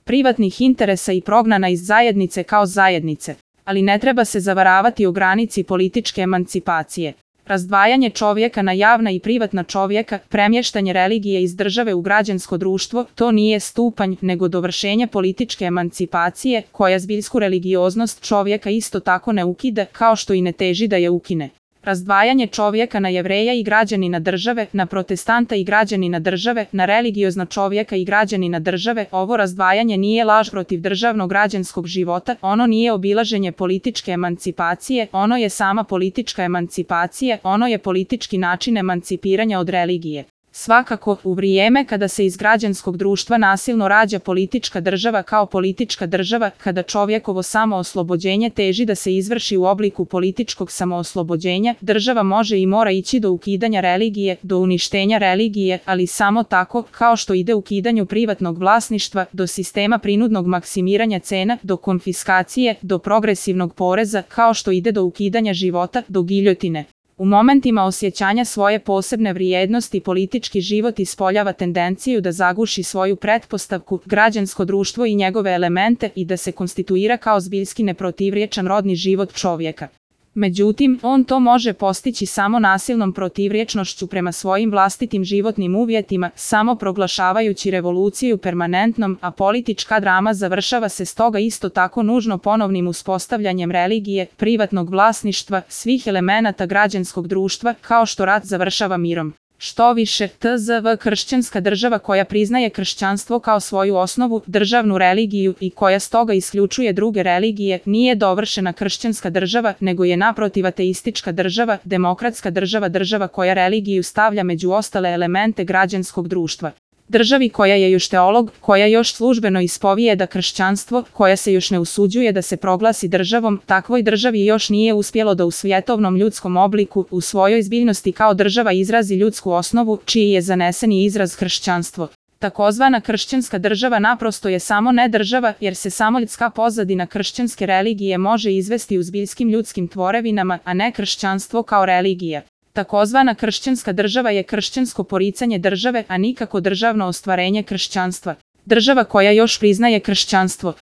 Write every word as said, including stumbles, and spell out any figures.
privatnih interesa i prognana iz zajednice kao zajednice. Ali ne treba se zavaravati o granici političke emancipacije. Razdvajanje čovjeka na javna i privatna čovjeka, premještanje religije iz države u građansko društvo, to nije stupanj, nego dovršenje političke emancipacije, koja zbiljsku religioznost čovjeka isto tako ne ukida, kao što i ne teži da je ukine. Razdvajanje čovjeka na Jevreja i građanina države, na protestanta i građanina države, na religiozna čovjeka i građanina države, ovo razdvajanje nije laž protiv državnog građanskog života, ono nije obilaženje političke emancipacije, ono je sama politička emancipacija, ono je politički način emancipiranja od religije. Svakako, u vrijeme kada se iz građanskog društva nasilno rađa politička država kao politička država, kada čovjekovo samooslobođenje teži da se izvrši u obliku političkog samooslobođenja, država može i mora ići do ukidanja religije, do uništenja religije, ali samo tako, kao što ide ukidanju privatnog vlasništva, do sistema prinudnog maksimiranja cena, do konfiskacije, do progresivnog poreza, kao što ide do ukidanja života, do giljotine. U momentima osjećanja svoje posebne vrijednosti politički život ispoljava tendenciju da zaguši svoju pretpostavku, građansko društvo i njegove elemente i da se konstituira kao zbiljski neprotivriječan rodni život čovjeka. Međutim, on to može postići samo nasilnom protivriječnošću prema svojim vlastitim životnim uvjetima, samo proglašavajući revoluciju permanentnom, a politička drama završava se stoga isto tako nužno ponovnim uspostavljanjem religije, privatnog vlasništva, svih elemenata građanskog društva, kao što rat završava mirom. Što više, T Z V kršćanska država koja priznaje kršćanstvo kao svoju osnovu, državnu religiju i koja stoga isključuje druge religije, nije dovršena kršćanska država, nego je naprotiv ateistička država, demokratska država, država koja religiju stavlja među ostale elemente građanskog društva. Državi koja je još teolog, koja još službeno ispovijeda kršćanstvo, koja se još ne usuđuje da se proglasi državom, takvoj državi još nije uspjelo da u svjetovnom ljudskom obliku, u svojoj zbiljnosti kao država izrazi ljudsku osnovu, čiji je zaneseni izraz kršćanstvo. Takozvana kršćanska država naprosto je samo ne država, jer se samo ljudska pozadina kršćanske religije može izvesti u zbiljskim ljudskim tvorevinama, a ne kršćanstvo kao religija. Takozvana kršćanska država je kršćansko poricanje države, a nikako državno ostvarenje kršćanstva. Država koja još priznaje kršćanstvo.